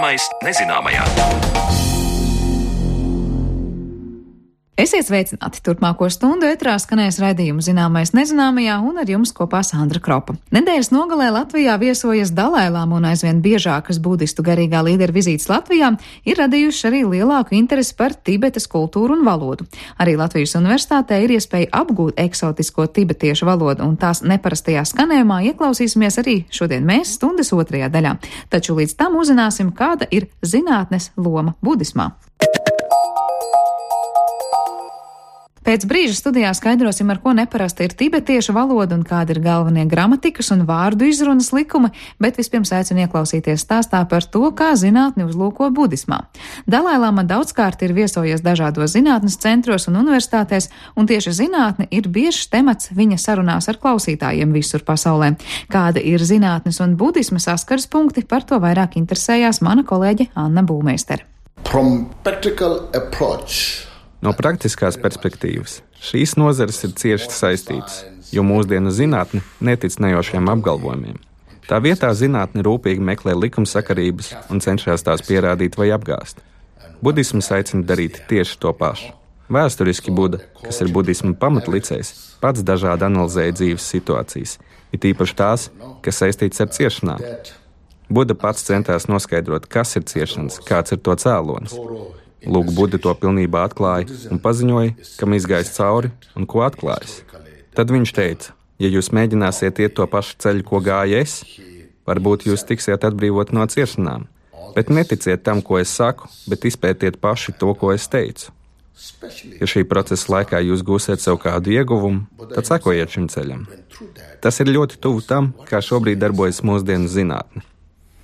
Zināmais nezināmajā. Esiet sveicināti! Turpmāko stundu ētrā skanēs raidījumu Zināmais nezināmajā un ar jums kopā Sandra Kropa. Nedēļas nogalē Latvijā viesojas Dalai-lāma un aizvien biežākas budistu garīgā līdera vizītes Latvijā ir radījuši arī lielāku interesi par Tibetas kultūru un valodu. Arī Latvijas universitātē ir iespēja apgūt eksotisko tibetiešu valodu un tās neparastajā skanējumā ieklausīsimies arī šodien mēs stundas otrajā daļā. Taču līdz tam uzzināsim, kāda ir zinātnes loma budismā. Pēc brīža studijā skaidrosim, ar ko neparasta ir tibetiešu valoda un kādi ir galvenie gramatikas un vārdu izrunas likumi, bet vispirms aicinu ieklausīties stāstā par to, kā zinātni uzlūko budismā. Dalai-lāma daudzkārt ir viesojies dažādos zinātnes centros un universitātēs, un tieši zinātne ir biežs temats viņa sarunās ar klausītājiem visur pasaulē. Kāda ir zinātnes un budisma saskares punkti, par to vairāk interesējās mana kolēģe Anna Būmeistere. No praktiskās perspektīvas šīs nozares ir cieši saistītas, jo mūsdienu zinātne netic nejošiem apgalvojumiem. Tā vietā zinātne rūpīgi meklē likumsakarības un cenšas tās pierādīt vai apgāzt. Budisms aicina darīt tieši to pašu. Vēsturiski Buda, kas ir budisma pamatlicējs, pats dažādi analizēja dzīves situācijas, it īpaši tās, kas saistītas ar ciešanām. Buda pats centās noskaidrot, kas ir ciešanas, kāds ir to cēlonis. Lūk, Buda to pilnībā atklāja un paziņoja, kam izgājis cauri un ko atklājis. Tad viņš teica, ja jūs mēģināsiet iet to pašu ceļu, ko gāju es, varbūt jūs tiksiet atbrīvot no ciešanām. Bet neticiet tam, ko es saku, bet izpētiet paši to, ko es teicu. Ja šī procesa laikā jūs gūsiet sev kādu ieguvumu, tad sekojiet šim ceļam. Tas ir ļoti tuvu tam, kā šobrīd darbojas mūsdienu zinātne.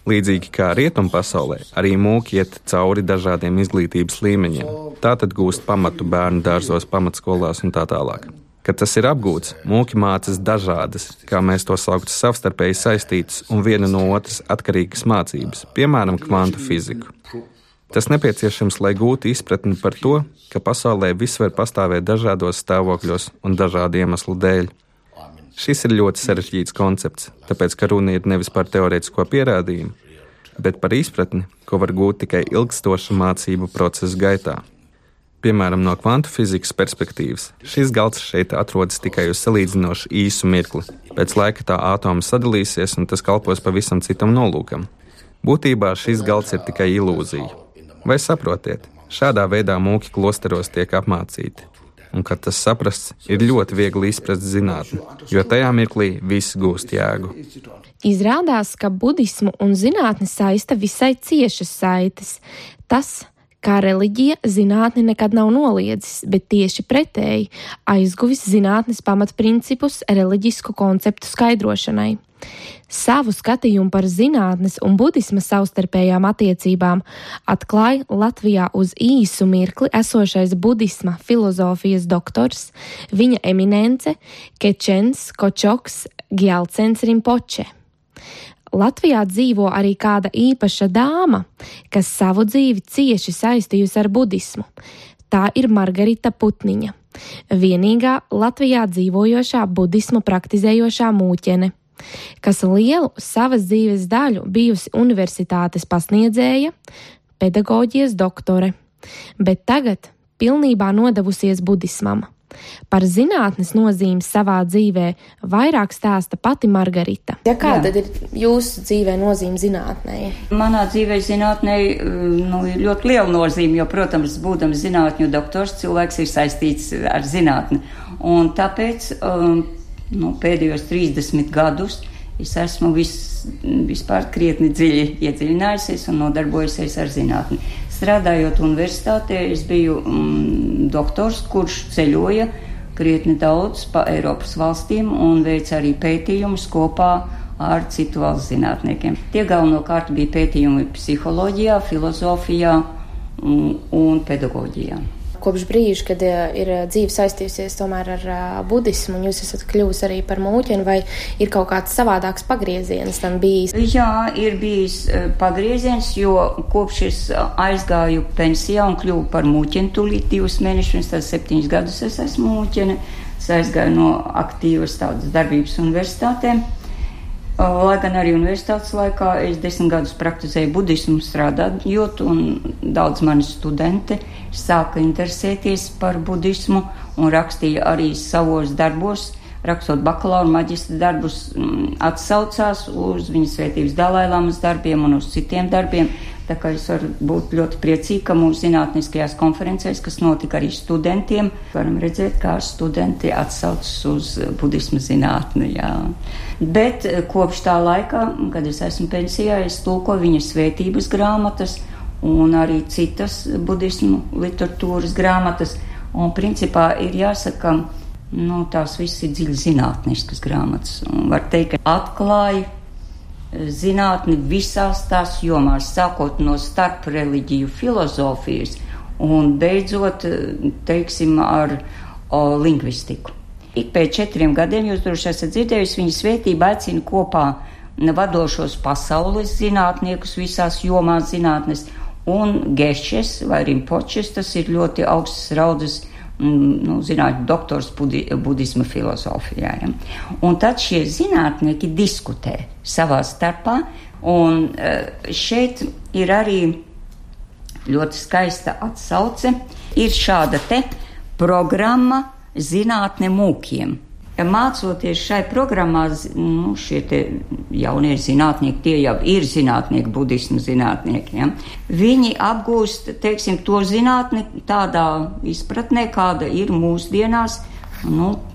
Līdzīgi kā rietumu pasaulē, arī mūki iet cauri dažādiem izglītības līmeņiem. Tātad gūst pamatu bērnu dārzos, pamatskolās un tā tālāk. Kad tas ir apgūts, mūki mācas dažādas, kā mēs to sauktu, savstarpēji saistītas un viena no otras atkarīgas mācības, piemēram, kvantu fiziku. Tas nepieciešams, lai gūtu izpratni par to, ka pasaulē viss var pastāvēt dažādos stāvokļos un dažādu iemeslu dēļ. Šis ir ļoti sarežģīts koncepts, tāpēc, ka runa ir nevis par teorētisko pierādījumu, bet par izpratni, ko var gūt tikai ilgstoša mācību procesa gaitā. Piemēram, no kvantu fizikas perspektīvas, šis galds šeit atrodas tikai uz salīdzinoši īsu mirkli. Pēc laika tā atomi sadalīsies un tas kalpos pavisam citam nolūkam. Būtībā šis galds ir tikai ilūzija. Vai saprotiet, šādā veidā mūki klosteros tiek apmācīti. Un, kad tas saprasts, ir ļoti viegli izprast zinātni, jo tajā mirklī viss gūst jēgu. Izrādās, ka budismu un zinātni saista visai ciešas saites. Tas, kā reliģija, zinātni nekad nav noliedzis, bet tieši pretēji aizguvis zinātnes pamatprincipus reliģisku konceptu skaidrošanai. Savu skatījumu par zinātnes un budisma savstarpējām attiecībām atklāja Latvijā uz īsu mirkli esošais budisma filozofijas doktors, viņa eminence Kečens Kočoks Gjelcens Rinpoče. Latvijā dzīvo arī kāda īpaša dāma, kas savu dzīvi cieši saistījusi ar budismu. Tā ir Margarita Putniņa, vienīgā Latvijā dzīvojošā budismu praktizējošā mūķene, kas lielu savas dzīves daļu bijusi universitātes pasniedzēja, pedagoģijas doktore, bet tagad pilnībā nodevusies budismam. Par zinātnes nozīmi savā dzīvē vairāk stāsta pati Margarita. Kāda ir jūsu dzīvē nozīme zinātnei? Manā dzīvē zinātnei ir ļoti liela nozīme, jo, protams, būdams zinātņu doktors, cilvēks ir saistīts ar zinātni. Un tāpēc pēdējos 30 gadus es esmu vispār krietni dziļi iedziļinājusies un nodarbojusies ar zinātni. Strādājot universitātē, es biju doktors, kurš ceļoja krietni daudz pa Eiropas valstīm un veica arī pētījumus kopā ar citu valsts zinātniekiem. Tie galvenokārt bija pētījumi psiholoģijā, filozofijā un pedagoģijā. Kopš brīža, kad ir dzīve saistījusies tomēr ar budismu, un jūs esat kļuvusi arī par mūķeni, vai ir kaut kāds savādāks pagrieziens tam bijis? Jā, ir bijis pagrieziens, jo kopš es aizgāju pensijā un kļuvu par mūķeni tūlīt 2 mēnešus, tad 7 gadus es esmu mūķene. Es aizgāju no aktīvas tādas darbības universitātēm. Lai gan arī universitātes laikā es 10 gadus praktizēju budismu strādājot, un daudz mani studenti sāka interesēties par budismu un rakstīja arī savos darbos, rakstot bakalaura un maģistra darbus, atsaucās uz Viņa svētības Dalailamas darbiem un uz citiem darbiem. Tā kā es varu būt ļoti priecīga, ka mūsu zinātniskajās konferencēs, kas notika arī studentiem, varam redzēt, kā studenti atsaucas uz budisma zinātni. Jā. Bet kopš tā laika, kad es esmu pensijā, es tulkoju Viņa svētības grāmatas un arī citas budismu literatūras grāmatas. Un principā ir jāsaka, tās viss ir dziļi zinātniskas grāmatas. Un var teikt, ka atklāja zinātni visās tās jomās, sākot no starpreliģiju filozofijas un beidzot, teiksim, ar lingvistiku. Ik pēc 4 gadiem, jūs droši esat dzirdējusi, Viņa svētība aicina kopā vadošos pasaules zinātniekus visās jomās zinātnes, un Gešes vai Rimpočes, tas ir ļoti augstas raudas zinātņu doktors budisma filozofijā. Ja? Un tad šie zinātnieki diskutē savā starpā, un šeit ir arī ļoti skaista atsauce. Ir šāda te programma Zinātne mūkiem. Mācoties šai programmā, šie te jaunie zinātnieki, tie jau ir zinātnieki, budismu zinātnieki, ja? Viņi apgūst, teiksim, to zinātni tādā izpratnē, kāda ir mūsdienās,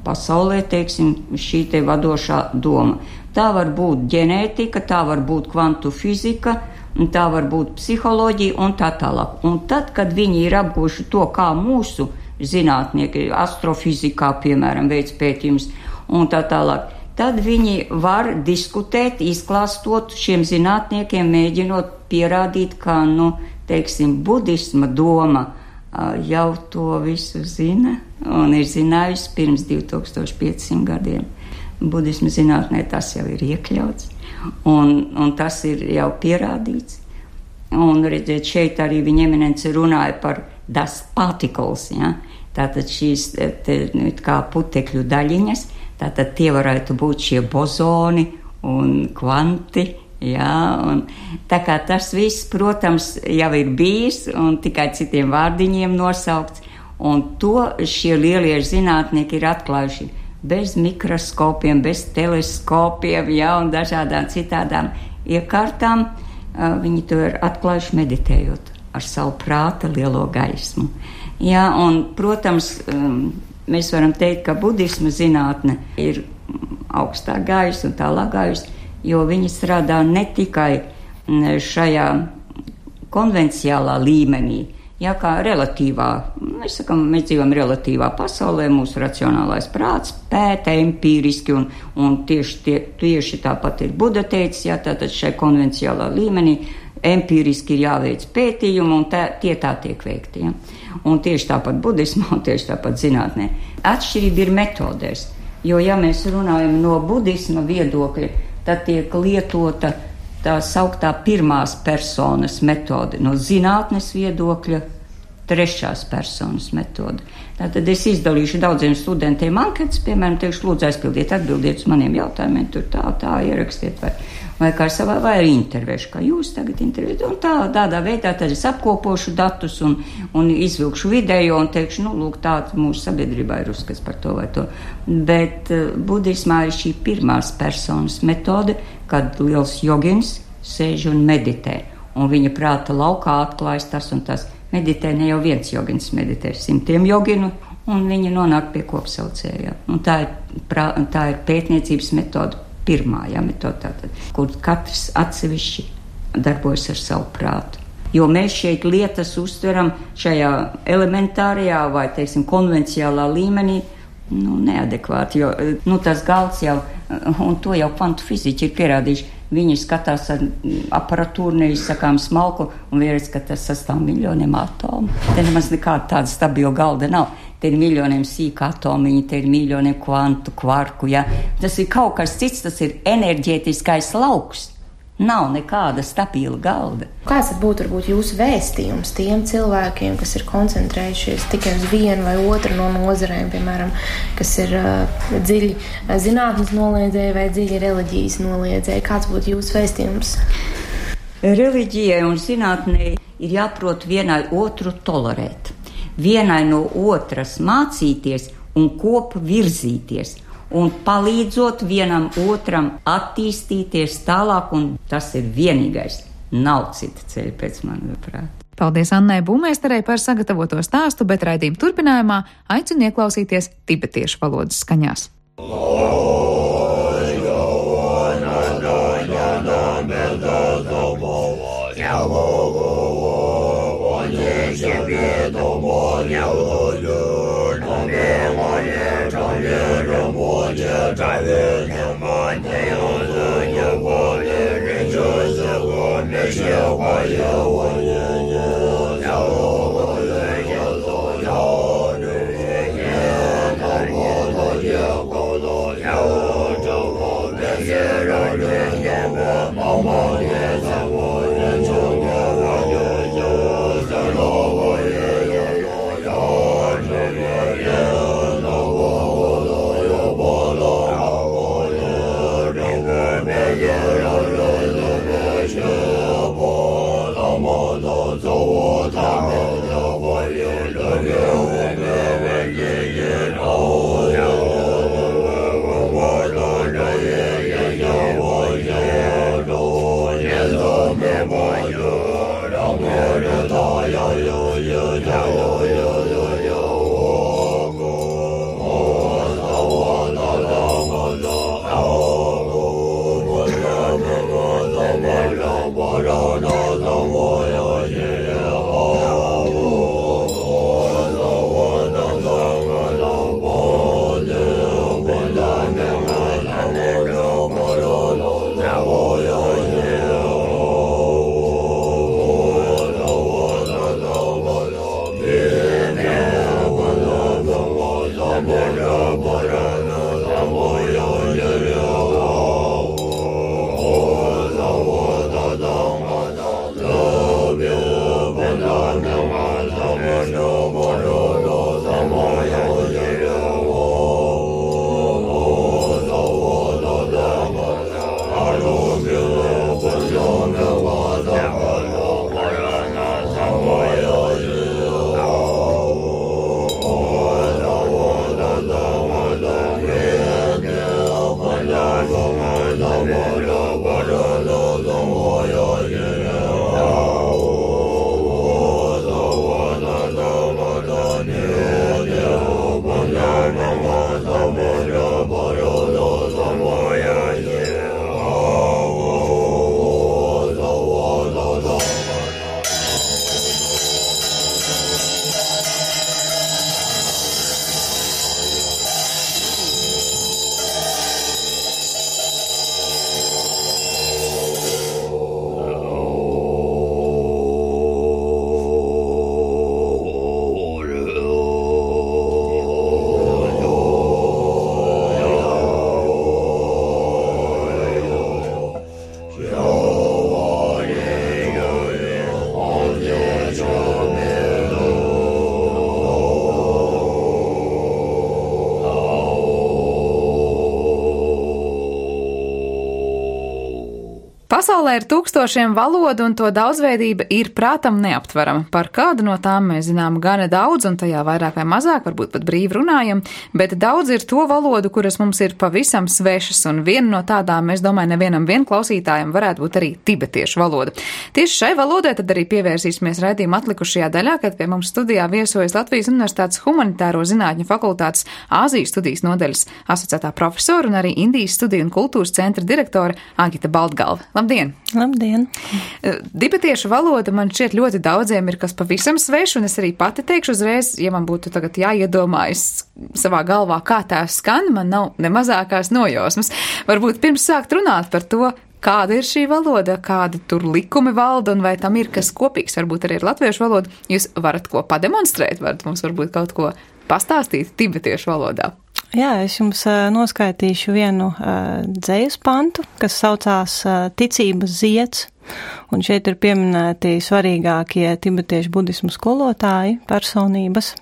pasaulē, teiksim, šī te vadošā doma. Tā var būt ģenētika, tā var būt kvantu fizika, tā var būt psiholoģija un tā tālāk. Un tad, kad viņi ir apgūši to, kā mūsu zinātnieki, astrofizikā, piemēram, veids pētījums un tā tālāk, tad viņi var diskutēt, izklāstot šiem zinātniekiem, mēģinot pierādīt, ka, teiksim, budisma doma jau to visu zina un ir zinājusi pirms 2500 gadiem. Budisma zinātnē tas jau ir iekļauts un tas ir jau pierādīts. Un redziet, šeit arī viņa eminence runāja par das particles, ja? Tātad šīs kā putekļu daļiņas, tātad tie varētu būt šie bozoni un kvanti, ja? Un tā kā tas viss, protams, jau ir bijis un tikai citiem vārdiņiem nosaukts, un to šie lielie zinātnieki ir atklājuši bez mikroskopiem, bez teleskopiem, ja? Un dažādām citādām iekārtām. Viņi to ir atklājuši meditējot ar savu prāta lielo gaismu. Jā, un, protams, mēs varam teikt, ka budisma zinātne ir augstāk gājusi un tālāk gājusi, jo viņi strādā ne tikai šajā konvenciālā līmenī, jā, kā relatīvā, mēs dzīvojam relatīvā pasaulē, mūsu racionālais prāts pēta empīriski, un tieši tāpat ir Buda teicis, jā, tātad šai konvenciālā līmenī empīriski ir jāveic pētījumi, un tie tiek veikti. Ja? Un tieši tāpat budismā, un tieši tāpat zinātnē. Atšķirība ir metodēs, jo, ja mēs runājam no budisma viedokļa, tad tiek lietota tā sauktā pirmās personas metode, no zinātnes viedokļa trešās personas metode. Tātad es izdalīšu daudziem studentiem anketas, piemēram, teikšu, lūdzu atbildiet uz maniem jautājumiem, tur tā ierakstiet, vai kā savā, vai arī intervēšu, kā jūs tagad intervējat, un tādā veidā tad es apkopošu datus un izvilkšu video un teikšu, lūk, tāds mūsu sabiedrībā ir uzskats par to vai to. Bet budismā ir šī pirmās personas metode, kad liels jogins sēž un meditē, un viņa prāta laukā atklājas tas un tas. Meditē ne jau viens jogins, meditē 100 joginu, un viņi nonāk pie kopsaucējā. Un tā ir pētniecības metode, pirmā metode, tātad, kur katrs atsevišķi darbojas ar savu prātu. Jo mēs šeit lietas uztveram šajā elementārajā vai, teiksim, konvenciālā līmenī, neadekvāti, jo tas galds jau, un to jau kvantu fiziķi ir pierādījuši, viņi skatās ar aparatūru, neizsakām smalku, un vieredz, ka tas sastāv miljoniem atomu. Te nemaz nekāda tāda stabila galda nav. Te ir miljoniem sīka atomiņi, te ir miljoniem kvantu, kvarku, ja. Tas ir kaut kas cits, tas ir enerģētiskais lauks. Nav nekāda stabila galda. Kāds tad būtu varbūt jūsu vēstījums tiem cilvēkiem, kas ir koncentrējušies tikai uz vienu vai otru no nozarēm, piemēram, kas ir dziļi zinātnes noliedzēji vai dziļi reliģijas noliedzēji? Kāds būtu jūsu vēstījums? Reliģijai un zinātnei ir jāprot vienai otru tolerēt, vienai no otras mācīties un kopu virzīties. Un palīdzot vienam otram attīstīties tālāk, un tas ir vienīgais. Nav cita ceļa pēc manas prāta. Paldies Annai Būmeisterei par sagatavoto stāstu, bet raidījuma turpinājumā aicinu ieklausīties tibetiešu valodas skaņās. Pasaulē ir tūkstošiem valodu, un to daudzveidība ir prātam neaptverama. Par kādu no tām mēs zinām gana daudz, un tajā vairāk vai mazāk, varbūt pat brīvi runājam, bet daudz ir to valodu, kuras mums ir pavisam svešas, un viena no tādām, es domāju, nevienam klausītājam varētu būt arī tibetiešu valoda. Tieši šai valodai tad arī pievērsīsimies raidījuma atlikušajā daļā, kad pie mums studijā viesojas Latvijas Universitātes Humanitāro zinātņu fakultātes Āzijas studijas nodaļas asociētā profesora un arī Indijas studiju un kultūras centra direktore Agita Baltgalva. Labdien! Labdien! Tibetiešu valoda man šķiet ļoti daudziem ir kas pavisam svešs, un es arī pati teikšu uzreiz, ja man būtu tagad jāiedomājas savā galvā, kā tā skan, man nav ne mazākās nojausmas. Varbūt pirms sākt runāt par to, kāda ir šī valoda, kādi tur likumi valda un vai tam ir kas kopīgs, varbūt arī ar latviešu valodu, jūs varat ko pademonstrēt, varat mums varbūt kaut ko pastāstīt tibetiešu valodā. Jā, es jums noskaitīšu vienu dzejas pantu, kas saucās Ticības zieds, un šeit ir pieminēti svarīgākie tibetiešu budismu skolotāji, personības.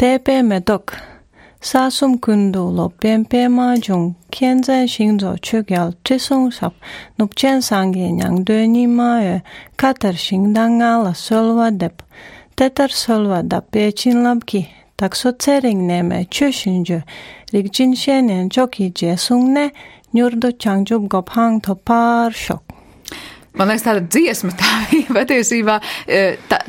Tēpē medok, sāsum kundu lopiem piemā džung, kienzē shingzo chūgyal chisung sap, nupchen sāngi nyang dēņi māyē, katar shingdangā la solva dep, tetar solva da piechin labki, takso cering nēmē chūshinju, rikjin shēnien choki jesung ne, nyurdo changchub gobhang to pār šok. Man liekas, tāda dziesma, tā patiesībā,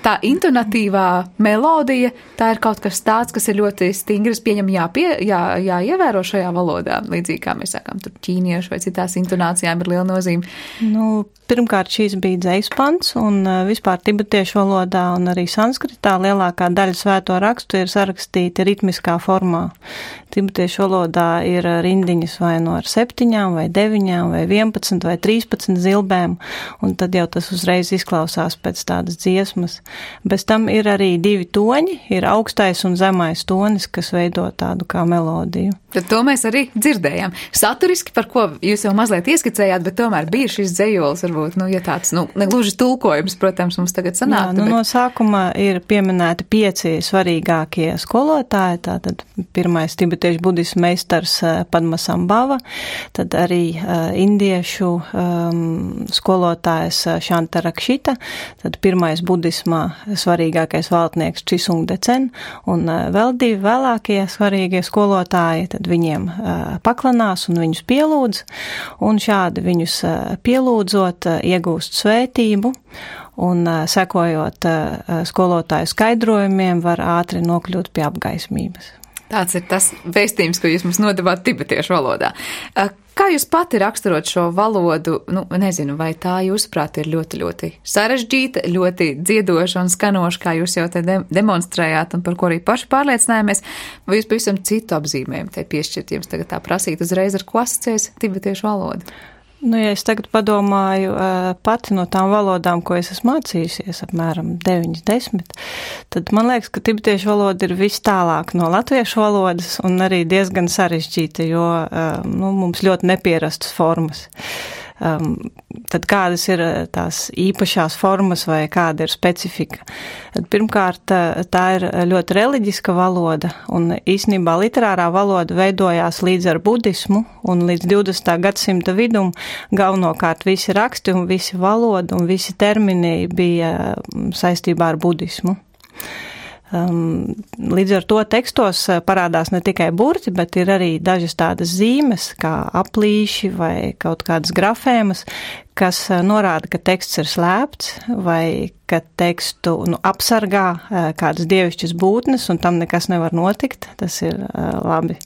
tā intonatīvā melodija, tā ir kaut kas tāds, kas ir ļoti stingrs, pieņem jāievēro šajā valodā, līdzīgi kā mēs sākām, tur ķīniešu vai citās intonācijām ir liela nozīme. Pirmkārt, šīs bija dzejas pants, un vispār tibetiešu valodā un arī sanskritā lielākā daļa svēto rakstu ir sarakstīti ritmiskā formā. Tibetiešu valodā ir rindiņas vai no ar 7 vai 9 vai 11 vai 13 zilbēm, un tad jau tas uzreiz izklausās pēc tādas dziesmas. Bez tam ir arī 2 toņi, ir augstais un zemais tonis, kas veido tādu kā melodiju. Tad to mēs arī dzirdējām. Saturiski, par ko jūs jau mazliet ieskicējāt, bet tomēr bija šis dzejols, varbūt, ja tāds, negluži tulkojums, protams, mums tagad sanāk. Jā, no sākuma ir pieminēti 5 svarīgākie skolotāji, tātad pirmais tibetiešu budismu meistars Padmasambhava, tad arī indiešu skolotājs Šantarakšita, tad pirmais budismā svarīgākais valdnieks Chisung Decen, un vēl 2 vēlākie svarīgie skolotāji, tad viņiem paklanās un viņus pielūdz, un šādi viņus pielūdzot iegūst svētību, un sekojot skolotāju skaidrojumiem var ātri nokļūt pie apgaismības. Tāds ir tas vēstījums, ko jūs mums nodevāt tibetiešu valodā. Kā jūs pati raksturot šo valodu, nezinu, vai tā jūsuprāt ir ļoti, ļoti sarežģīta, ļoti dziedoša un skanoša, kā jūs jau te demonstrējāt un par ko arī paši pārliecinājāmies, vai jūs pavisam citu apzīmējumu te piešķirt, jums tagad tā prasīt uzreiz, ar ko asociēs tibetiešu valoda? Ja es tagad padomāju pati no tām valodām, ko es esmu mācījusies, apmēram 9-10, tad man liekas, ka tibetiešu valoda ir vis tālāk no latviešu valodas un arī diezgan sarežģīta, jo mums ļoti nepierastas formas. Tad kādas ir tās īpašās formas vai kāda ir specifika? Pirmkārt, tā ir ļoti reliģiska valoda, un īstenībā literārā valoda veidojās līdz ar budismu, un līdz 20. gadsimta vidum galvenokārt visi raksti un visi valoda un visi termini bija saistībā ar budismu. Līdz ar to tekstos parādās ne tikai burti, bet ir arī dažas tādas zīmes, kā aplīši vai kaut kādas grafēmas, kas norāda, ka teksts ir slēpts vai ka tekstu apsargā kādas dievišķas būtnes un tam nekas nevar notikt. Tas ir labi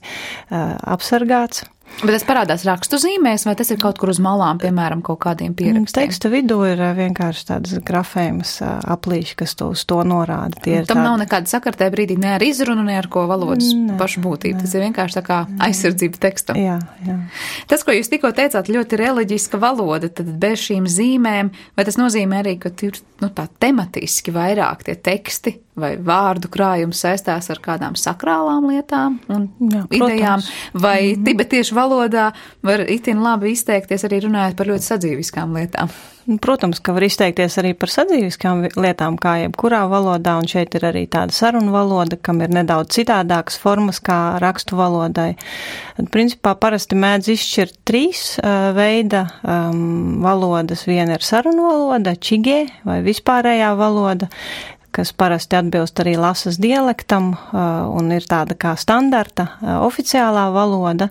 apsargāts. Bet tas parādās rakstu zīmēs, vai tas ir kaut kur uz malām, piemēram, kaut kādiem pierakstiem? Teksta vidū ir vienkārši tādas grafēmas aplīši, kas uz to norāda. Tam nav nekāda sakartē brīdī ne ar izrunu, ne ar ko valodas pašu būtību. Tas ir vienkārši tā kā aizsardzība tekstam. Jā. Tas, ko jūs tikko teicāt, ļoti reliģiska valoda, tad bez šīm zīmēm, vai tas nozīmē arī, ka ir tā tematiski vairāk tie teksti vai vārdu krājums saistās ar kādām sakrālām lietām un idejām, vai tibetiešu valodā var itin labi izteikties arī runājot par ļoti sadzīviskām lietām? Protams, ka var izteikties arī par sadzīviskām lietām, kā jebkurā valodā, un šeit ir arī tāda sarunu valoda, kam ir nedaudz citādākas formas kā rakstu valodai. Principā parasti mēdz izšķirt 3 veida valodas. Viena ir sarunu valoda, čigē vai vispārējā valoda, kas parasti atbilst arī lasas dialektam un ir tāda kā standarta oficiālā valoda.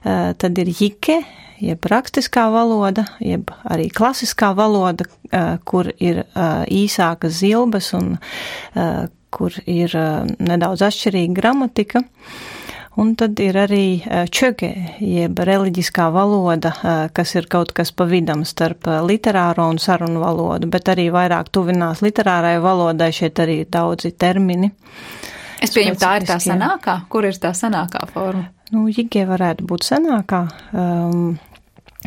Tad ir jike, jeb rakstiskā valoda, jeb arī klasiskā valoda, kur ir īsākas zilbes un kur ir nedaudz atšķirīga gramatika. Un tad ir arī čöge, jeb reliģiskā valoda, kas ir kaut kas pa vidam starp literāro un sarunu valodu, bet arī vairāk tuvinās literārai valodai, šeit arī ir daudzi termini. Es pieņemu, tā ir tā sanākā? Kur ir tā sanākā forma? Jige varētu būt sanākā.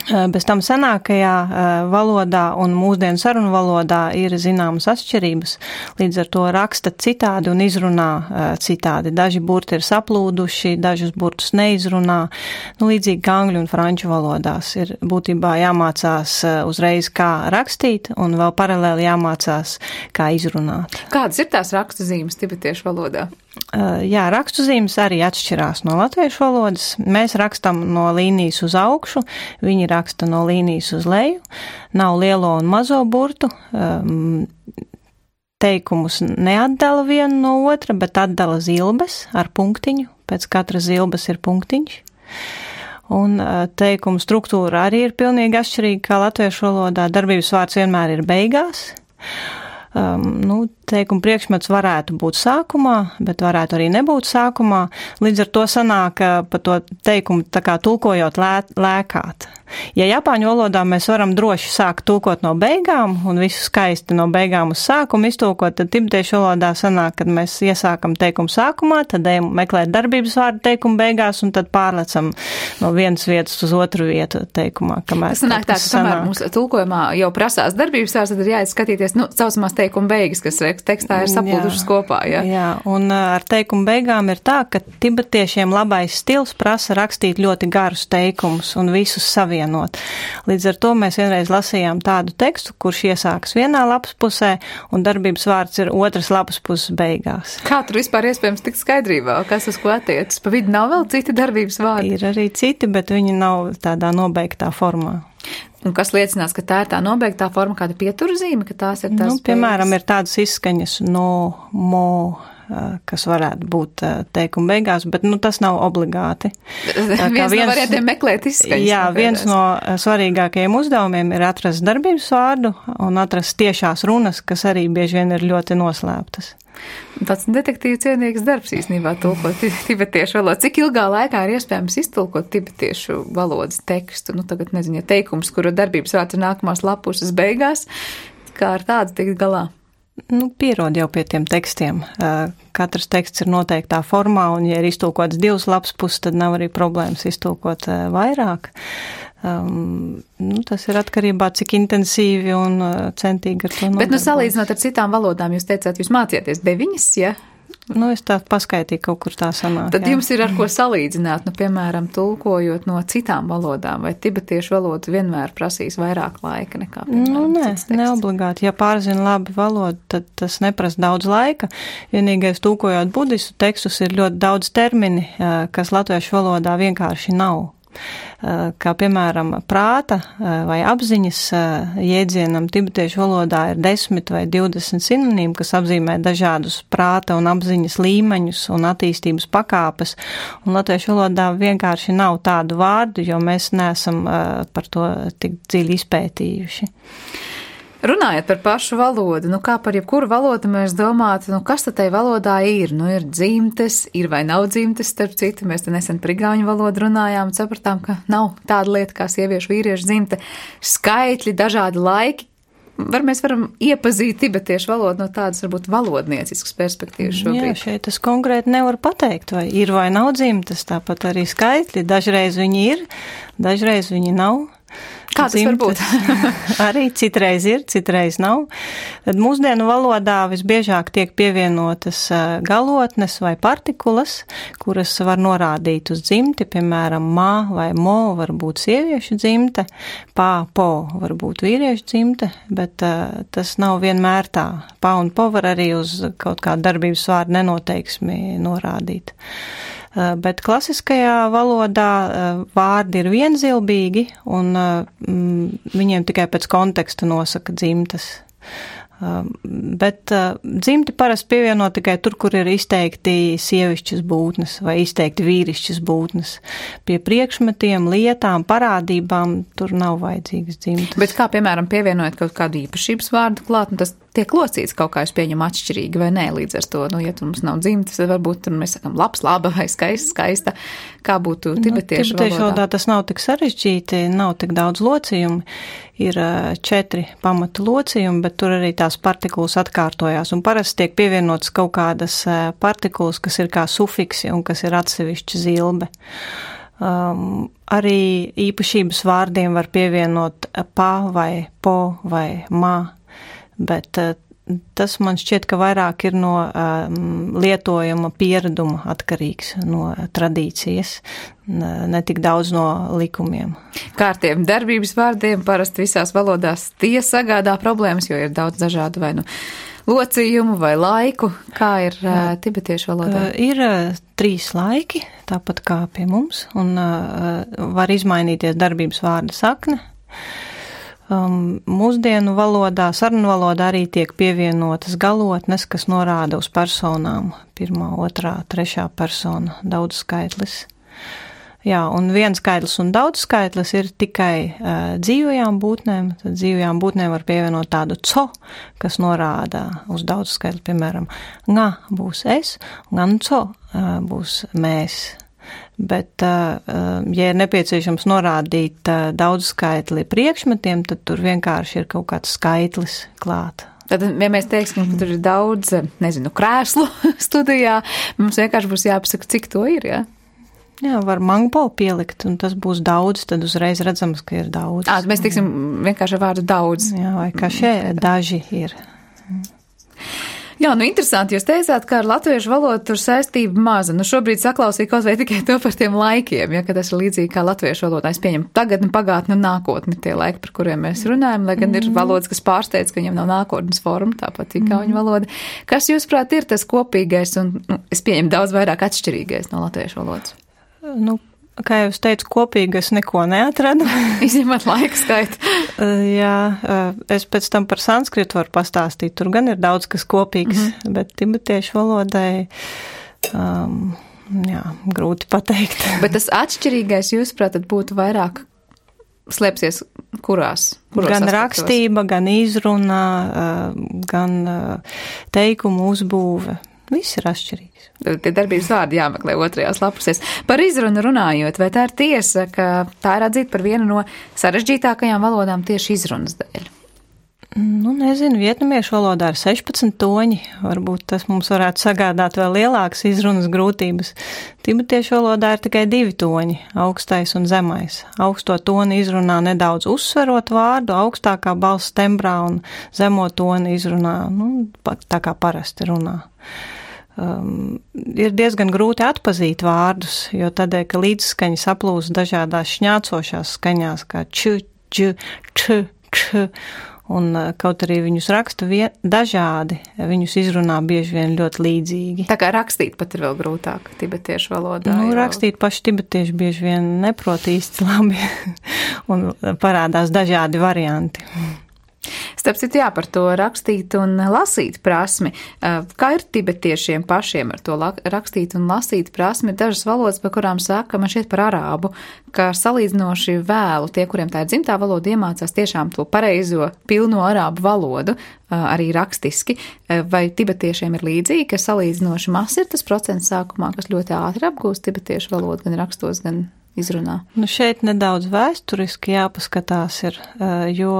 Bez tam senākajā valodā un mūsdienu sarunu valodā ir zināmas atšķirības, līdz ar to raksta citādi un izrunā citādi. Daži burti ir saplūduši, dažus burtus neizrunā, līdzīgi kā angļu un franču valodās. Ir būtībā jāmācās uzreiz, kā rakstīt, un vēl paralēli jāmācās, kā izrunāt. Kādas ir tās rakstuzīmes tibetiešu valodā? Jā, rakstuzīmes arī atšķirās no latviešu valodas. Mēs rakstam no līnijas uz augšu, viņi raksta no līnijas uz leju. Nav lielo un mazo burtu. Teikumus neatdala vienu no otra, bet atdala zilbes ar punktiņu. Pēc katras zilbes ir punktiņš. Un teikumu struktūra arī ir pilnīgi atšķirīga kā latviešu valodā. Darbības vārds vienmēr ir beigās. Teikuma priekšmets varētu būt sākumā, bet varētu arī nebūt sākumā. Līdz ar to sanāk pa to teikumu tā kā tulkojot lēkāt. Ja Japāņu valodā mēs varam droši sākt tulkot no beigām un visu skaisti no beigām uz sākumu iztulkot, tad tibetiešu valodā sanāk, kad mēs iesākam teikumu sākumā, tad ejam meklēt darbības vārdu teikumu beigās un tad pārlecam no vienas vietas uz otru vietu teikumā. Tas sanāk tā, ka kamēr mums tulkojumā jau prasās darbības vārds, tad ir jāizskatīties, saucamās teikuma beigas, kas tekstā ir saplūdušas kopā, ja? Jā, un ar teikumu beigām ir tā, ka tibetiešiem labais stils prasa rakstīt ļoti garus teikumus un visus savienot. Līdz ar to mēs vienreiz lasījām tādu tekstu, kurš iesākas vienā lapas pusē un darbības vārds ir otras lapas puses beigās. Kā tur vispār iespējams tikt skaidrībā? Kas uz ko attiecas? Pa vidu nav vēl citi darbības vārdi? Ir arī citi, bet viņi nav tādā nobeigtā formā. Un kas liecinās, ka tā ir tā nobeigtā forma, kāda pieturzīme, ka tās ir tās piemēram, ir tādas izskaņas no, mo, kas varētu būt teikuma beigās, bet tas nav obligāti. Viens no variantiem meklēt izskaņas. Jā, viens no svarīgākajiem uzdevumiem ir atrast darbības vārdu un atrast tiešās runas, kas arī bieži vien ir ļoti noslēptas. Tāds detektīvu cienīgs darbs īstenībā tulkot tibetiešu valodu. Cik ilgā laikā ir iespējams iztulkot tibetiešu valodas tekstu? Tagad nezinu, ja teikums, kura darbības vārds ir nākamās lapuses beigās, kā ar tādu tikt galā? Pierod jau pie tiem tekstiem. Katrs teksts ir noteiktā formā, un ja ir iztulkots 2 lapas puses, tad nav arī problēmas iztulkot vairāk. Tas ir atkarībā, cik intensīvi un centīgi ar to nodarbojas. Bet, salīdzinot ar citām valodām, jūs teicāt, jūs mācieties 9, ja? Es tā paskaitīju, kaut kur tā sanāk. Tad jums ir ar ko salīdzināt, piemēram, tulkojot no citām valodām, vai tibetiešu valoda vienmēr prasīs vairāk laika nekā, piemēram, cits teksts? Neobligāti. Ja pārzina labi valodu, tad tas neprasa daudz laika. Vienīgais tulkojot budistu tekstus ir ļoti daudz termini, kas latviešu valodā vienkārši nav. Kā piemēram prāta vai apziņas jēdzienam tibetiešu valodā ir 10 vai 20 sinonīmi, kas apzīmē dažādus prāta un apziņas līmeņus un attīstības pakāpes, un latviešu valodā vienkārši nav tādu vārdu, jo mēs neesam par to tik dziļi izpētījuši. Runājot par pašu valodu, kā par jebkuru valodu mēs domātu, kas tad tai valodā ir? Ir dzimtes, ir vai nav dzimtes, starp citu, mēs te nesen par igauņu valodu runājām un sapratām, ka nav tāda lieta kā sieviešu vīriešu dzimte, skaitļi, dažādi laiki. Mēs varam iepazīt tibetiešu valodu no tādas, varbūt, valodnieciskas perspektīvas šobrīd. Jā, šeit es konkrēti nevaru pateikt, vai ir vai nav dzimtes, tāpat arī skaitļi. Dažreiz viņi ir, dažreiz viņi nav. Kā tas var būt? Arī citreiz ir, citreiz nav. Tad mūsdienu valodā visbiežāk tiek pievienotas galotnes vai partikulas, kuras var norādīt uz dzimti, piemēram, mā vai mo var būt sieviešu dzimte, pā, po var būt vīriešu dzimte, bet tas nav vienmēr tā. Pā un po var arī uz kaut kādu darbības vārdu nenoteiksmi norādīt. Bet klasiskajā valodā vārdi ir vienzilbīgi un viņiem tikai pēc konteksta nosaka dzimtas. Bet dzimti parasti pievieno tikai tur, kur ir izteikti sievišķas būtnes vai izteikti vīrišķas būtnes. Pie priekšmetiem, lietām, parādībām tur nav vajadzīgas dzimtas. Bet kā, piemēram, pievienojot kaut kādu īpašības vārdu klāt, tas tiek locīts kaut kā, es pieņemu atšķirīgi vai nē, līdz ar to, ja tur mums nav dzimtas, tad varbūt tur mēs sakam labs, laba vai skaists, skaista. Kā būtu tibetiešu valodā? Tibetiešu valodā tas nav tik sarežģīti, nav tik daudz locījumu. Ir 4 pamatu locījumi, bet tur arī tās partikulas atkārtojās. Un parasti tiek pievienotas kaut kādas partikulas, kas ir kā sufiksi un kas ir atsevišķa zilbe. Arī īpašības vārdiem var pievienot pa vai po vai ma, bet tas man šķiet, ka vairāk ir no lietojuma piereduma atkarīgs, no tradīcijas, ne tik daudz no likumiem. Kārtiem darbības vārdiem parasti visās valodās tie sagādā problēmas, jo ir daudz dažādu vai locījumu vai laiku. Kā ir tibetiešu valodā? Ir 3 laiki, tāpat kā pie mums, un var izmainīties darbības vārda sakne. Mūsdienu valodā, sarunu valodā arī tiek pievienotas galotnes, kas norāda uz personām. 1., 2., 3. persona, daudzskaitlis. Jā, un vienskaitlis un daudzskaitlis ir tikai dzīvajām būtnēm. Tad dzīvajām būtnēm var pievienot tādu co, kas norāda uz daudzskaitli, piemēram, nga būs es, gan co būs mēs. Bet, ja ir nepieciešams norādīt daudzskaitli priekšmetiem, tad tur vienkārši ir kaut kāds skaitlis klāt. Tad, ja mēs teiksim, ka tur ir daudz, krēslu studijā, mums vienkārši būs jāpasaka, cik to ir, jā? Jā, var mangpo pielikt, un tas būs daudz, tad uzreiz redzams, ka ir daudz. Mēs teiksim vienkārši ar vārdu daudz. Jā, vai kā šeit daži ir. Jā, interesanti, jūs teicāt, ka ar latviešu valodu tur saistība maza. Šobrīd saklausīju kaut vai tikai to par tiem laikiem, ja, ka tas ir līdzīgi kā latviešu valodā. Es pieņemu tagadni, pagātni un nākotni tie laiki, par kuriem mēs runājam, lai gan ir valodas, kas pārsteidz, ka viņam nav nākotnes forma, tāpat igauņu valoda. Kas, jūsuprāt, ir tas kopīgais un, es pieņemu, daudz vairāk atšķirīgais no latviešu valodas? Kā jau es teicu, kopīgi es neko neatradu. Izņemot laika skaitu. Jā, es pēc tam par sanskritu varu pastāstīt. Tur gan ir daudz kas kopīgs, bet tibetiešu valodai, grūti pateikt. Bet tas atšķirīgais, jūsuprāt, tad būtu vairāk slēpsies kuros gan aspektos? Rakstība, gan izruna, gan teikumu uzbūve. Viss ir atšķirīgs. Tie darbības vārdi jāmeklē 2. lapusēs. Par izrunu runājot, vai tā ir tiesa, ka tā ir atzīta par vienu no sarežģītākajām valodām tieši izrunas dēļ? Nezinu, vietnamiešu valodā ir 16 toņi. Varbūt tas mums varētu sagādāt vēl lielākas izrunas grūtības. Tibetiešu valodā ir tikai 2 toņi, augstais un zemais. Augsto toni izrunā nedaudz uzsverot vārdu, augstākā balss tembrā un zemo toni izrunā, tā kā parasti runā. Ir diezgan grūti atpazīt vārdus, jo tādēļ, ka līdzskaņi saplūst dažādās šņācošās skaņās, kā č, č, un kaut arī viņus raksta dažādi, viņus izrunā bieži vien ļoti līdzīgi. Tā kā rakstīt pat ir vēl grūtāk tibetiešu valodā. Rakstīt paši tibetieši bieži vien neprot īsti labi, un parādās dažādi varianti. Starp citu, par to rakstīt un lasīt prasmi. Kā ir tibetiešiem pašiem ar to rakstīt un lasīt prasmi? Dažas valodas, par kurām saka, man šķiet par arābu, ka salīdzinoši vēlu tie, kuriem tā ir dzimtā valoda, iemācās tiešām to pareizo, pilno arābu valodu, arī rakstiski. Vai tibetiešiem ir līdzīgi, ka salīdzinoši maz ir tas procents sākumā, kas ļoti ātri apgūst tibetiešu valodu, gan rakstos, gan izrunā? Šeit nedaudz vēsturiski jāpaskatās ir, jo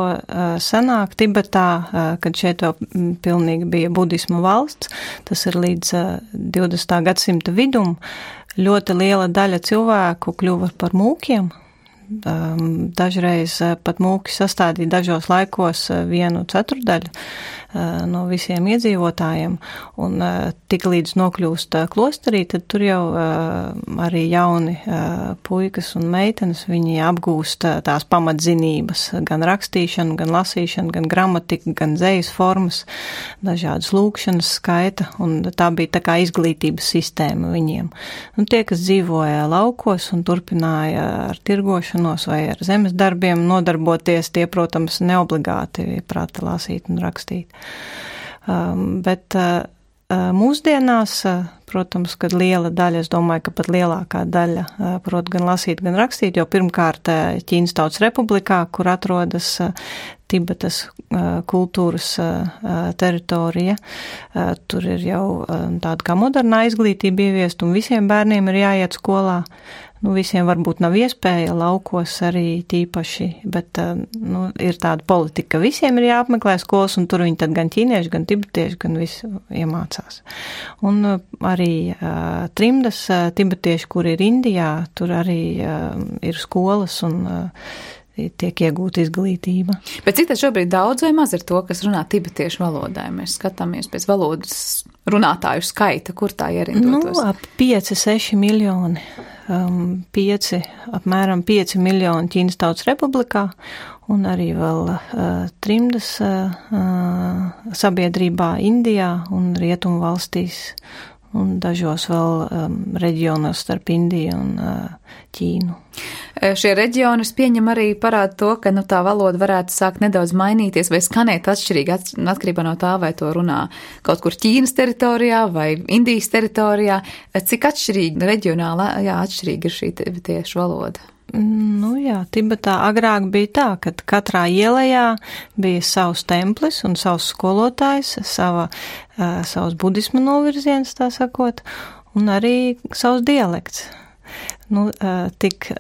senāk Tibetā, kad šeit vēl pilnīgi bija budisma valsts, tas ir līdz 20. gadsimta vidum, ļoti liela daļa cilvēku kļuva par mūkiem. Dažreiz pat mūki sastādīja dažos laikos 1/4 no visiem iedzīvotājiem, un tik līdz nokļūst klosterī, tad tur jau arī jauni puikas un meitenes, viņi apgūst tās pamatzinības, gan rakstīšanu, gan lasīšanu, gan gramatiku, gan dzejas formas, dažādas lūkšanas skaita, un tā bija tā kā izglītības sistēma viņiem. Un tie, kas dzīvoja laukos un turpināja ar tirgošanos vai ar zemes darbiem nodarboties, tie, protams, neobligāti prata lasīt un rakstīt. Bet mūsdienās, protams, kad liela daļa, es domāju, ka pat lielākā daļa prot gan lasīt, gan rakstīt, jo pirmkārt Ķīnas Tautas Republikā, kur atrodas Tibetas kultūras teritorija, tur ir jau tāda kā modernā izglītība ieviest, un visiem bērniem ir jāiet skolā. visiem varbūt nav iespēja laukos arī tīpaši, bet, ir tāda politika, ka visiem ir jāapmeklē skolas, un tur viņi tad gan ķīnieši, gan tibetieši, gan visu iemācās. Un arī trimdas tibetieši, kur ir Indijā, tur arī ir skolas un tiek iegūta izglītība. Bet cik tad šobrīd daudz vai maz ir to, kas runā tibetiešu valodā? Mēs skatāmies pēc valodas runātāju skaita, kur tā ierindotos? Ap 5-6 miljoni. Apmēram 5 miljoni Ķīnas Tautas Republikā un arī vēl trimdas sabiedrībā Indijā un Rietumu valstīs un dažos vēl reģionos starp Indiju un Ķīnu. Šie reģioni, es pieņem, arī parāda to, ka tā valoda varētu sākt nedaudz mainīties vai skanēt atšķirīgi atkarībā no tā, vai to runā kaut kur Ķīnas teritorijā vai Indijas teritorijā. Cik atšķirīgi, reģionāli, atšķirīgi ir šī tieši valoda? Tibetā agrāk bija tā, ka katrā ielajā bija savs templis un savs skolotājs, savs budisma novirziens, tā sakot, un arī savs dialekts. Tik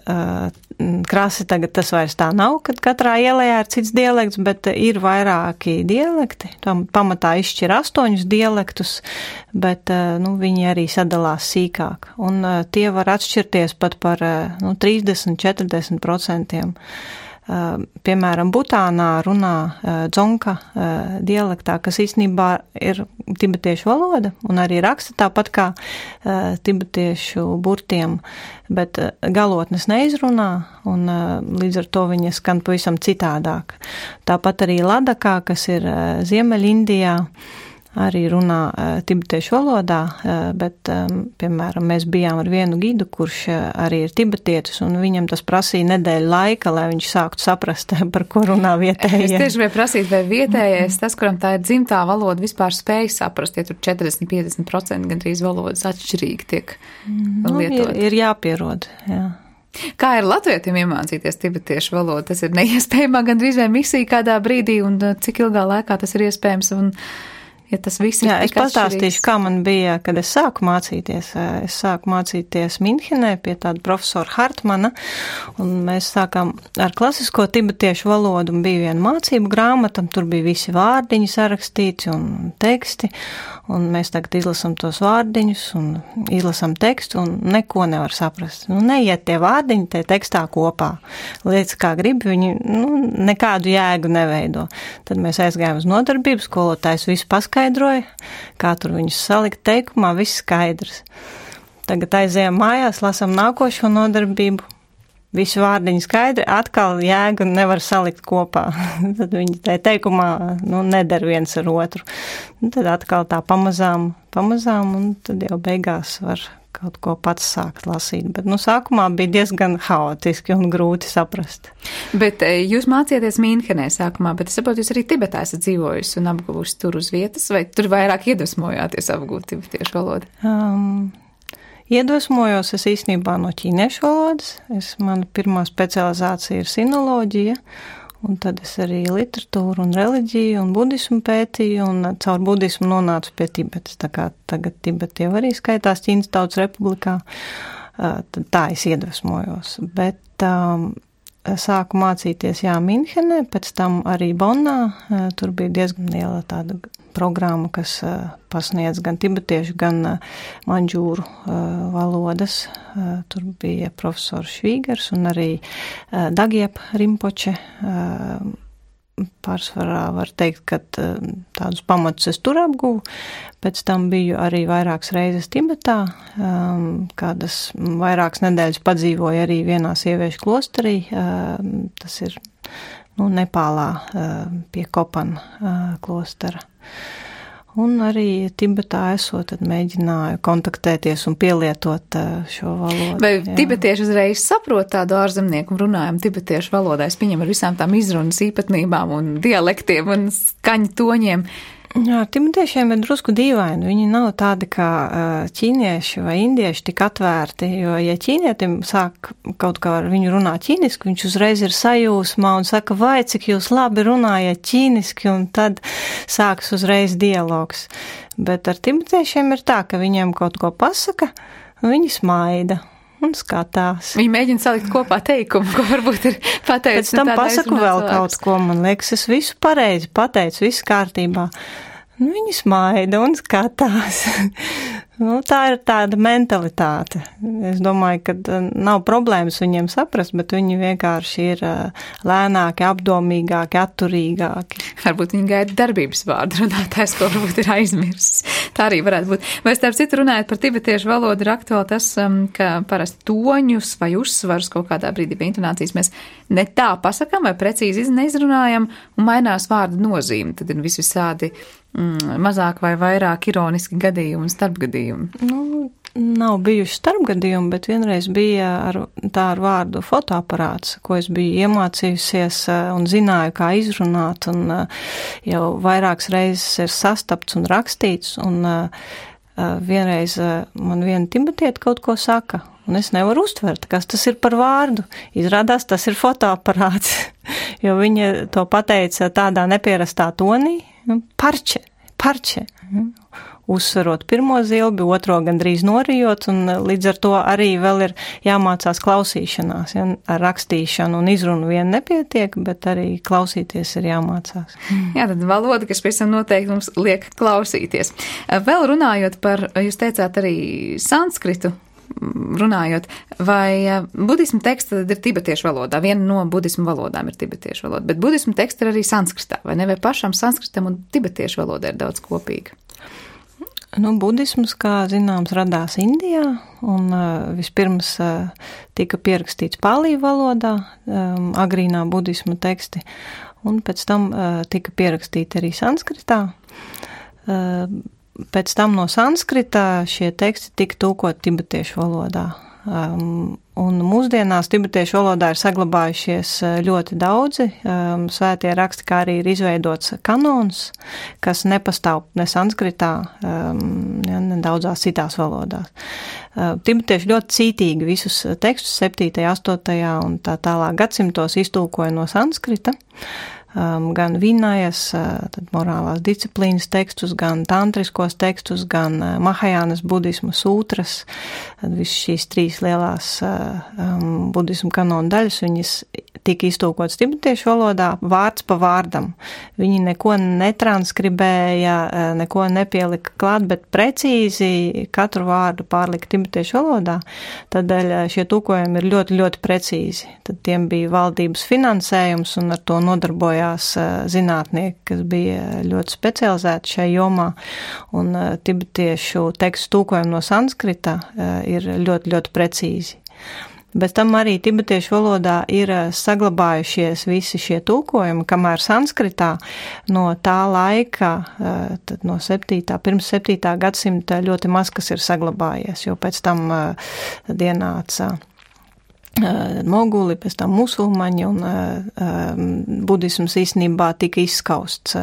krasi tagad tas vairs tā nav, kad katrā ielajā ir cits dialekts, bet ir vairāki dialekti. Tam pamatā izšķir 8 dialektus, bet viņi arī sadalās sīkāk. Un tie var atšķirties pat par 30-40%. Piemēram, Butānā runā dzonka dialektā, kas īstenībā ir tibetiešu valoda un arī raksta tāpat kā tibetiešu burtiem, bet galotnes neizrunā un līdz ar to viņa skan pavisam citādāk. Tāpat arī Ladakā, kas ir Ziemeļindijā, arī runā tibetiešu valodā, bet, piemēram, mēs bijām ar vienu gidu, kurš arī ir tibetietis, un viņam tas prasīja nedēļu laika, lai viņš sāktu saprast, par ko runā vietējie. Es tieši vai prasīt, vai vietējais, tas, kuram tā ir dzimtā valoda, vispār spēj saprast, ja tur 40-50% gandrīz valodas atšķirīgi tiek lietot. Ir jāpierod, jā. Kā ir latvietiem iemācīties tibetiešu valodu? Tas ir neiespējamā gandrīz vai misija kādā brīdī, un cik ilgā laikā tas ir iespējams, un ja tas viss ir es pastāstīšu, kā man bija, kad es sāku mācīties. Es sāku mācīties Minhenē pie tāda profesora Hartmana, un mēs sākām ar klasisko tibetiešu valodu, un bija viena mācību grāmata, tur bija visi vārdiņi sarakstīti un teksti, un mēs tagad izlasam tos vārdiņus un izlasam tekstu, un neko nevar saprast. Neiet tie vārdiņi tie tekstā kopā. Lietas kā grib, viņi nekādu jēgu neveido. Tad mēs aizgājām uz nodarbību, skolotājs visu paskaidroja, kā tur viņus salikt teikumā, viss skaidrs. Tagad aizējām mājās, lasam nākošo nodarbību, visi vārdiņi skaidri, atkal jēgu nevar salikt kopā. Tad viņi teikumā neder viens ar otru. Tad atkal tā pamazām, un tad jau beigās var kaut ko pats sākt lasīt. Bet sākumā bija diezgan haotiski un grūti saprast. Bet jūs mācījāties Minhenē sākumā, bet es saprotu, jūs arī Tibetā esat dzīvojusi un apguvusi tur uz vietas, vai tur vairāk iedvesmojāties apgūt tibetiešu valodu? Iedvesmojos es īstenībā no ķīniešu valodas. Mana pirmā specializācija ir sinoloģija, un tad es arī literatūru un reliģiju un budismu pētīju, un caur budismu nonācu pie Tibetas. Tā kā tagad Tibeta jau arī skaitās Ķīnas Tautas Republikā, tad tā es iedvesmojos. Bet sāku mācīties, Minhenē, pēc tam arī Bonnā. Tur bija diezgan liela tāda programma, kas pasniedz gan tibetiešu, gan manģūru valodas. Tur bija profesors Švīgers un arī Dagiep Rimpoče. Pārsvarā var teikt, ka tādus pamatus es tur apguvu. Pēc tam biju arī vairākas reizes Tibetā, kādas vairākas nedēļas padzīvoju arī vienā sieviešu klosterī. Tas ir Nepālā pie Kopana klostera. Un arī Tibetā esot, tad mēģināju kontaktēties un pielietot šo valodu. Vai tibetieši uzreiz saprot tādu ārzemnieku runājumu tibetiešu valodā? Es pieņemu ar visām tām izrunas īpatnībām un dialektiem un skaņu toņiem. Jā, tibetiešiem ir drusku dīvaini. Viņi nav tādi kā ķīnieši vai indieši tik atvērti, jo, ja ķīnietim sāk kaut kā ar viņu runāt ķīniski, viņš uzreiz ir sajūsmā un saka, vai cik jūs labi runājat ķīniski, un tad sāks uzreiz dialogs. Bet ar tibetiešiem ir tā, ka viņiem kaut ko pasaka, un viņi smaida. un skatās. Viņi mēģina salikt kopā teikumu, ko varbūt ir pateicis. Pēc tam pasaku vēl kaut ko, man liekas, es visu pareizi pateicu, viss kārtībā. Viņi smaida un skatās. Tā ir tāda mentalitāte. Es domāju, ka nav problēmas viņiem saprast, bet viņi vienkārši ir lēnāki, apdomīgāki, atturīgāki. Varbūt viņi gaida darbības vārdu runātājs, ko varbūt ir aizmirsis. Tā arī varētu būt. Vai starp citu runājot par tibetiešu valodu ir aktuāli tas, ka parasti toņus vai uzsvarus kaut kādā brīdī pie intonācijas mēs ne tā pasakām vai precīzi neizrunājam un mainās vārdu nozīme. Tad ir visādi mazāk vai vairāk ironiski gadījumi un starpgadījumi. Nav bijuši starpgadījumi, bet vienreiz bija ar vārdu fotoaparāts, ko es biju iemācījusies un zināju, kā izrunāt, un jau vairākas reizes ir sastapts un rakstīts, un vienreiz man viena tibetieta kaut ko saka, un es nevaru uztvert, kas tas ir par vārdu. Izrādās, tas ir fotoaparāts, jo viņa to pateica tādā nepierastā tonī, parče, uzsverot pirmo zilbi, otro gandrīz norijot, un līdz ar to arī vēl ir jāmācās klausīšanās. Ja? Ar rakstīšanu un izrunu vien nepietiek, bet arī klausīties ir jāmācās. Jā, tad valoda, kas pēc tam noteikti mums liek klausīties. Vēl runājot par, jūs teicāt arī sanskritu, runājot, vai budismu teksta tad ir tibetiešu valodā? Viena no budismu valodām ir tibetiešu valoda, bet budismu teksta ir arī sanskritā, vai ne? Vai pašam sanskritam un tibetiešu valodā ir daudz kopīga? Budisms, kā zināms, radās Indijā, un vispirms tika pierakstīts pālī valodā, agrīnā budisma teksti, un pēc tam tika pierakstīti arī sanskritā. Pēc tam no sanskrita šie teksti tika tulkoti tibetiešu valodā. Un mūsdienās tibetiešu valodā ir saglabājušies ļoti daudzi svētie raksti, kā arī ir izveidots kanons, kas nepastāv ne sanskritā, ne daudzās citās valodās. Tibetieši ļoti cītīgi visus tekstus 7., 8. un tā tālāk gadsimtos iztulkoja no sanskrita. Gan vinajas, tad morālās disciplīnas tekstus, gan tantriskos tekstus, gan mahajānas budisma sūtras, tad visas šīs 3 lielās budisma kanona daļas, viņas tika iztulkotas tibetiešu valodā vārds pa vārdam. Viņi neko netranskribēja, neko nepielika klāt, bet precīzi katru vārdu pārlika tibetiešu valodā, tādēļ šie tulkojumi ir ļoti, ļoti precīzi. Tad tiem bija valdības finansējums un ar to nodarbojās zinātnieki, kas bija ļoti specializēti šai jomā, un tibetiešu tekstu tulkojumi no sanskrita ir ļoti, ļoti precīzi. Bez tam arī tibetiešu valodā ir saglabājušies visi šie tulkojumi, kamēr sanskritā no tā laika, tad no pirms 7. gadsimta ļoti maz kas ir saglabājies, jo pēc tam ienāca moguli, pēc tam musulmaņi, un budisms īstenībā tika izskausts,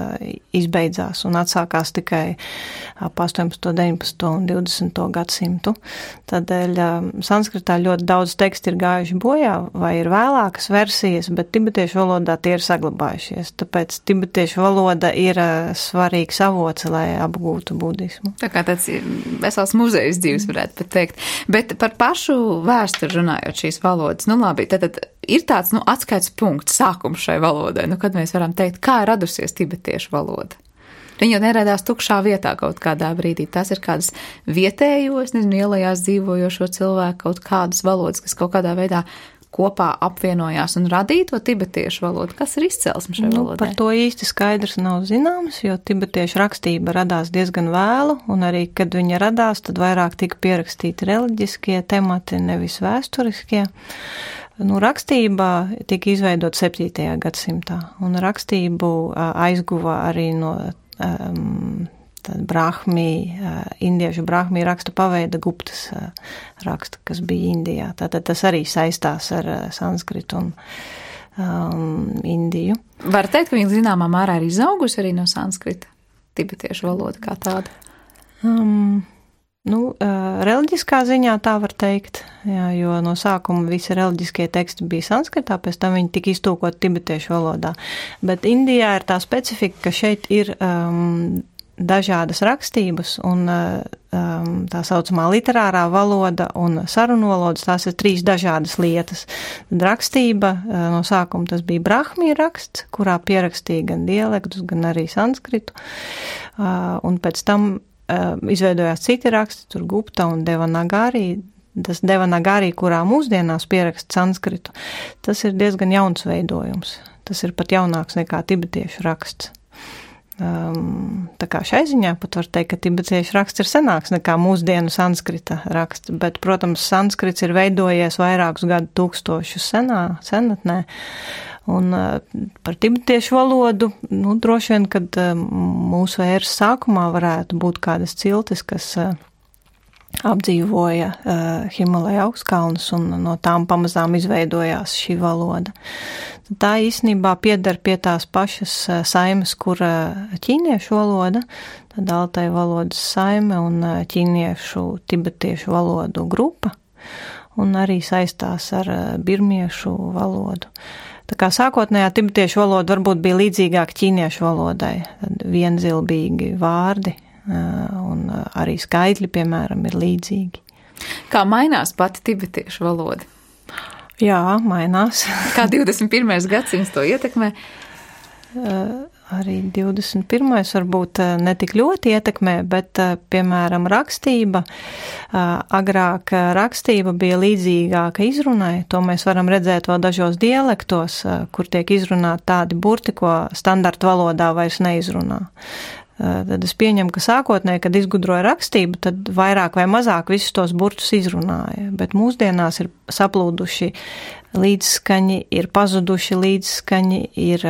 izbeidzās un atsākās tikai ap 18., 19. un 20. gadsimtu. Tādēļ sanskritā ļoti daudz teksti ir gājuši bojā, vai ir vēlākas versijas, bet tibetiešu valodā tie ir saglabājušies. Tāpēc tibetiešu valoda ir svarīgs avots, lai apgūtu budismu. Tā kā tāds vesels muzejs dzīves varētu pat teikt. Bet par pašu vēsturi runājot šīs valodas, labi, tad ir tāds, atskaits punkts, sākums šai valodai, kad mēs varam teikt, kā ir radusies tibetiešu valoda. Viņa jau neradās tukšā vietā kaut kādā brīdī. Tās ir kādas vietējos, ielajās dzīvojošo cilvēku kaut kādas valodas, kas kaut kādā veidā kopā apvienojās un radīja to tibetiešu valodu. Kas ir izcelsme šai valodai? Par to īsti skaidrs nav zināms, jo tibetiešu rakstība radās diezgan vēlu, un arī, kad viņa radās, tad vairāk tika pierakstīti reliģiskie temati, nevis vēsturiskie. Rakstība tika izveidot 7. gadsimtā, un rakstību aizguva arī no indiešu brahmī raksta paveida Guptas raksta, kas bija Indijā. Tātad tas arī saistās ar sanskritu un Indiju. Var teikt, ka viņa zināmā mērā ir izaugusi arī no sanskrita, tibetiešu valoda kā tāda? Reliģiskā ziņā tā var teikt, jā, jo no sākuma visi reliģiskie teksti bija sanskritā, pēc tam viņi tika iztulkoti tibetiešu valodā. Bet Indijā ir tā specifika, ka šeit ir dažādas rakstības, un tā saucamā literārā valoda un sarunu valodas, tās ir 3 dažādas lietas. Tad rakstība, no sākuma tas bija brahmī raksts, kurā pierakstīja gan dialektus, gan arī sanskritu, un pēc tam izveidojās citi raksti, tur Gupta un Devanagari. Tas Devanagari, kurā mūsdienās pieraksta sanskritu, tas ir diezgan jauns veidojums. Tas ir pat jaunāks nekā tibetiešu raksts. Tā kā šai ziņā pat var teikt, ka tibetiešu raksts ir senāks nekā mūsdienu sanskrita raksts, bet, protams, sanskrits ir veidojies vairākus gadu tūkstošus senatnē, un par tibetiešu valodu, droši vien, kad mūsu ēras sākumā varētu būt kādas ciltis, kas apdzīvoja Himalaja augstkalnus, un no tām pamazām izveidojās šī valoda. Tā īstenībā pieder pie tās pašas saimes, kur ķīniešu valoda, tad Altai valodas saime un ķīniešu tibetiešu valodu grupa, un arī saistās ar birmiešu valodu. Tā kā sākotnējā tibetiešu valoda varbūt bija līdzīgāka ķīniešu valodai, tad vienzilbīgi vārdi, un arī skaitļi, piemēram, ir līdzīgi. Kā mainās pati tibetiešu valoda? Jā, mainās. Kā 21. gadsimts to ietekmē? Arī 21. varbūt ne tik ļoti ietekmē, bet, piemēram, rakstība. Agrāk rakstība bija līdzīgāka izrunai, to mēs varam redzēt vēl dažos dialektos, kur tiek izrunāti tādi burti, ko standarta valodā vairs neizrunā. Tad es pieņemu, ka sākotnēji, kad izgudroja rakstību, tad vairāk vai mazāk visus tos burtus izrunāja, bet mūsdienās ir saplūduši līdzskaņi, ir pazuduši līdzskaņi, ir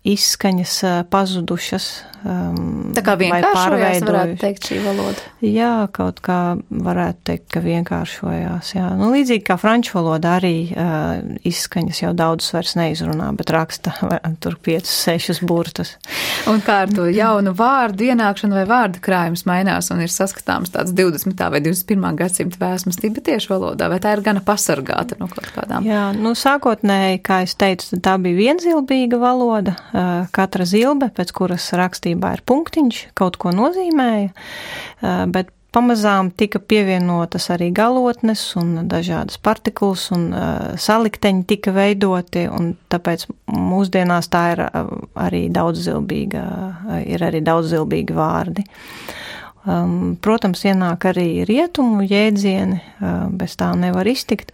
izskaņas pazudušas. Tā kā vienkāršojās, varētu teikt, šī valoda. Jā, kaut kā varētu teikt, ka vienkāršojās, jā. Līdzīgi kā franču valoda arī izskaņas jau daudz vairs neizrunā, bet raksta tur 5-6 burtus. Un kā ar to jaunu vārdu ienākšanu vai vārdu krājums mainās un ir saskatāms tāds 20. vai 21. gadsimta vēsmas tibetiešu valodā, vai tā ir gana pasargāta no kaut kādām? Jā, sākotnēji, kā es teicu, tā bija vienzilbīga valoda. Katra zilbe, pēc kuras rakstībā ir punktiņš, kaut ko nozīmēja, bet pamazām tika pievienotas arī galotnes un dažādas partikulas un salikteņi tika veidoti, un tāpēc mūsdienās tā ir arī daudzilbīga, ir arī daudzilbīgi vārdi. Protams, ienāk arī rietumu jēdzieni, bez tā nevar iztikt,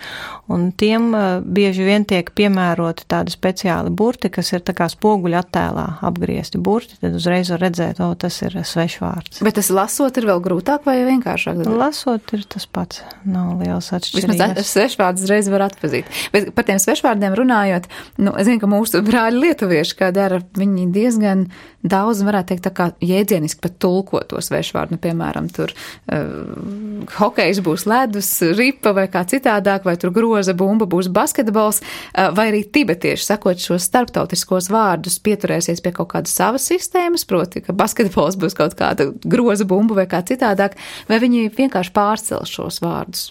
un tiem bieži vien tiek piemēroti tādi speciāli burti, kas ir tā kā spoguļa attēlā apgriezti burti, tad uzreiz var redzēt, tas ir svešvārds. Bet tas lasot ir vēl grūtāk vai vienkāršāk? Lasot ir tas pats, nav liels atšķirības. Vismaz svešvārds uzreiz var atpazīt. Bet par tiem svešvārdiem runājot, es zinu, ka mūsu brāļi lietuvieši, kā dara, viņi diezgan daudz, varētu teikt, tā kā jēdzieniski pat tulko to svešvārdu. Piemēram, tur hokejs būs ledus, ripa vai kā citādāk, vai tur groza bumba būs basketbols, vai arī tibetieši, sakot šos starptautiskos vārdus, pieturēsies pie kaut kādas savas sistēmas, proti, ka basketbols būs kaut kāda groza bumba vai kā citādāk, vai viņi vienkārši pārcels šos vārdus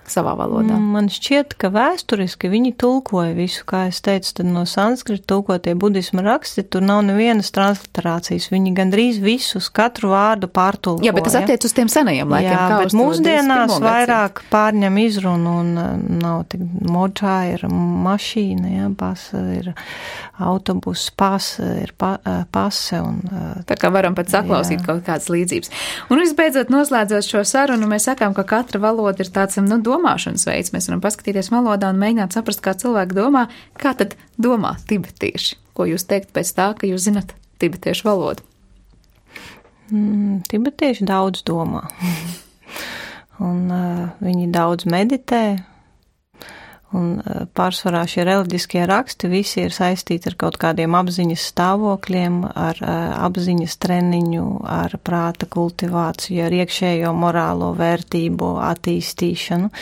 savā valodā? Man šķiet, ka vēsturiski viņi tulkoja visu, kā es teicu, tad no sanskrita tulkotie budisma raksti, tur nav nevienas transliterācijas, viņi gandrīz visus, katru vārdu pārtulkoja. Jā, bet tas attiec uz tiem senajiem laikiem. Jā, bet mūsdienās vairāk pārņem izrunu un nav tik močā, ir mašīna, jā, pasa, ir autobus, pasa, ir pase un... Tā kā varam pat saklausīt kaut kādas līdzības. Un visbeidzot, noslēdzot šo sarunu, mēs sakām, ka katra valoda ir tāds, domāšanas veids. Mēs varam paskatīties valodā un mēģināt saprast, kā cilvēki domā, kā tad domā tibetieši. Ko jūs teikt pēc tā, ka jūs zinat tibetiešu valodu? Tibetieši daudz domā. Un viņi daudz meditē. Un pārsvarā šie reliģiskie raksti visi ir saistīti ar kaut kādiem apziņas stāvokļiem, ar apziņas treniņu, ar prāta kultivāciju, ar iekšējo morālo vērtību attīstīšanu.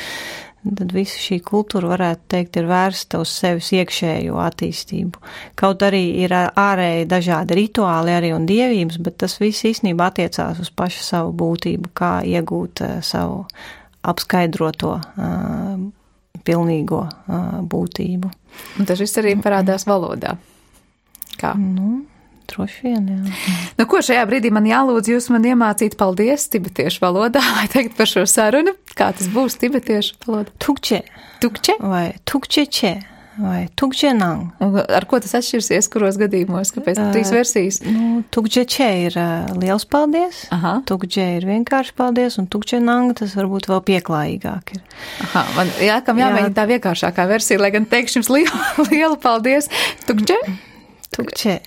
Tad visa šī kultūra, varētu teikt, ir vērsta uz sevis iekšējo attīstību. Kaut arī ir ārēji dažādi rituāli arī un dievības, bet tas viss īstenībā attiecās uz pašu savu būtību, kā iegūt savu apskaidroto pilnīgo būtību. Un tas viss arī parādās valodā. Kā? Droši vien, jā. Nu, ko šajā brīdī man jālūdz jūs man iemācīt paldies tibetiešu valodā, vai teikt par šo sarunu? Kā tas būs tibetiešu valoda? Tukče. Tukče? Vai tukčeče. Vai tukčenang. Un ar ko tas atšķirsies, kuros gadījumos? Kāpēc 3 versijas? Tukčeče ir liels paldies. Aha. Tukče ir vienkārši paldies, un tukčenang tas varbūt vēl pieklājīgāk ir. Aha, man jāmēģina tā vienkāršākā versija, lai gan teikšu jums lielu paldies. Tukče? Tukče.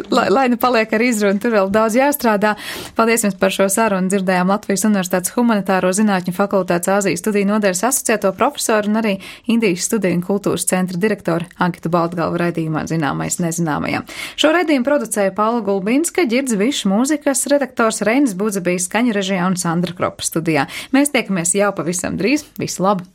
Lai nu paliek ar izrunu, tur vēl daudz jāstrādā. Paldies jums par šo sarunu. Dzirdējām Latvijas Universitātes Humanitāro zinātņu fakultātes Āzijas studiju nodaļas asociēto profesoru un arī Indijas studiju un kultūras centra direktoru Ankitu Baltgalvu raidījumā Zināmais nezināmajam. Šo raidījumu producēja Paula Gulbinska, Ģirds Višs, mūzikas redaktors Reinis Budzebijs, skaņu režijā un Sandra Kropa studijā. Mēs tiekamies jau pavisam drīz. Visu labu!